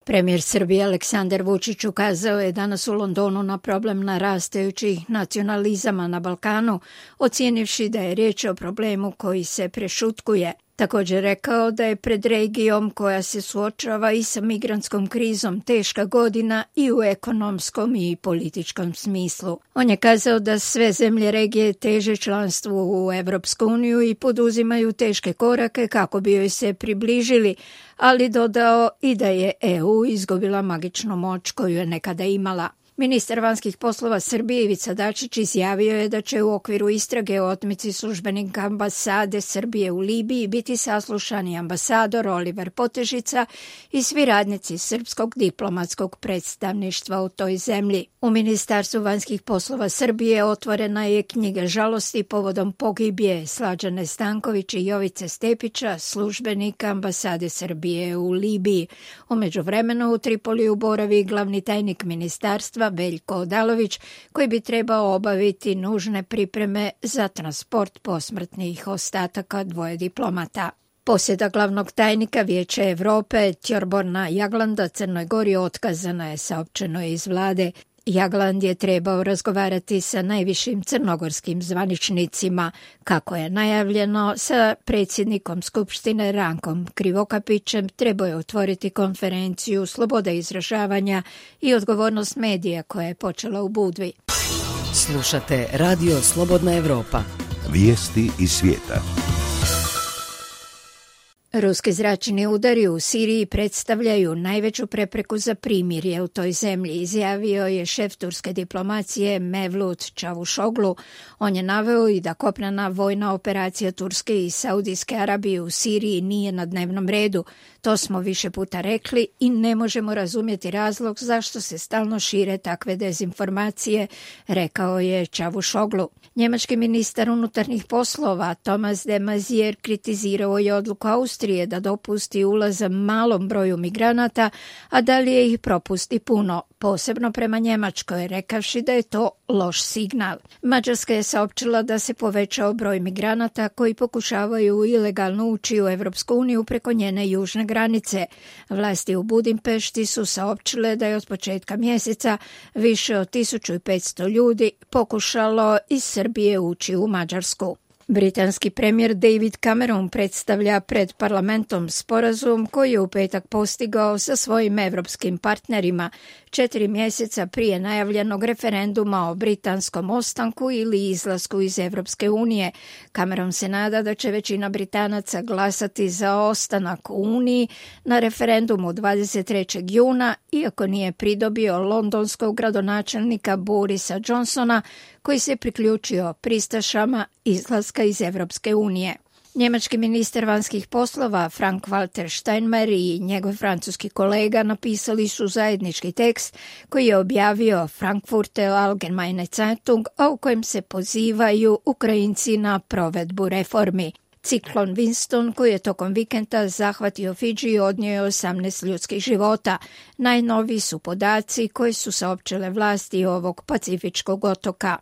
Premijer Srbije Aleksandar Vučić ukazao je danas u Londonu na problem narastajućih nacionalizama na Balkanu, ocijenivši da je riječ o problemu koji se prešutkuje. Također rekao da je pred regijom koja se suočava i sa migrantskom krizom teška godina i u ekonomskom i političkom smislu. On je kazao da sve zemlje regije teže članstvu u Evropsku uniju i poduzimaju teške korake kako bi joj se približili, ali dodao i da je EU izgubila magičnu moć koju je nekada imala. Ministar vanjskih poslova Srbije Ivica Dačić izjavio je da će u okviru istrage o otmici službenika ambasade Srbije u Libiji biti saslušani ambasador Oliver Potežica i svi radnici srpskog diplomatskog predstavništva u toj zemlji. U Ministarstvu vanjskih poslova Srbije otvorena je knjiga žalosti povodom pogibije Slađane Stanković i Jovice Stepića, službenika ambasade Srbije u Libiji. U međuvremenu u Tripoliju boravi glavni tajnik ministarstva Veljko Odalović, koji bi trebao obaviti nužne pripreme za transport posmrtnih ostataka dvoje diplomata. Posjeda glavnog tajnika Vijeća Evrope Tjorborna Jaglanda Crnoj Gori otkazana je, saopćeno je iz vlade. Jagland je trebao razgovarati sa najvišim crnogorskim zvaničnicima, kako je najavljeno, sa predsjednikom Skupštine Rankom Krivokapićem. Trebao je otvoriti konferenciju Sloboda izražavanja i odgovornost medija koja je počela u Budvi. Slušate Radio Slobodna Evropa. Vijesti iz svijeta. Ruski zračni udari u Siriji predstavljaju najveću prepreku za primirje u toj zemlji, izjavio je šef turske diplomacije Mevlut Čavuşoglu. On je naveo i da kopnena vojna operacija Turske i Saudijske Arabije u Siriji nije na dnevnom redu. To smo više puta rekli i ne možemo razumjeti razlog zašto se stalno šire takve dezinformacije, rekao je Čavuşoglu. Njemački ministar unutarnjih poslova Thomas de Maizière kritizirao je odluku Austrije da dopusti ulaz malom broju migranata, a dalje ih propusti puno, posebno prema Njemačkoj, rekavši da je to loš signal. Mađarska je saopćila da se povećao broj migranata koji pokušavaju ilegalno ući u Evropsku uniju preko njene južne granice. Vlasti u Budimpešti su saopćile da je od početka mjeseca više od 1500 ljudi pokušalo iz Srbije ući u Mađarsku. Britanski premijer David Cameron predstavlja pred parlamentom sporazum koji je u petak postigao sa svojim evropskim partnerima 4 mjeseca prije najavljenog referenduma o britanskom ostanku ili izlasku iz Evropske unije. Cameron se nada da će većina Britanaca glasati za ostanak u Uniji na referendumu 23. juna, iako nije pridobio londonskog gradonačelnika Borisa Johnsona, koji se priključio pristašama izlaska iz Evropske unije. Njemački ministar vanjskih poslova Frank-Walter Steinmeier i njegov francuski kolega napisali su zajednički tekst koji je objavio Frankfurter Allgemeine Zeitung, a u kojem se pozivaju Ukrajinci na provedbu reformi. Ciklon Winston, koji je tokom vikenda zahvatio Fidži, odnio je 18 ljudskih života. Najnoviji su podaci koji su saopćile vlasti ovog pacifičkog otoka.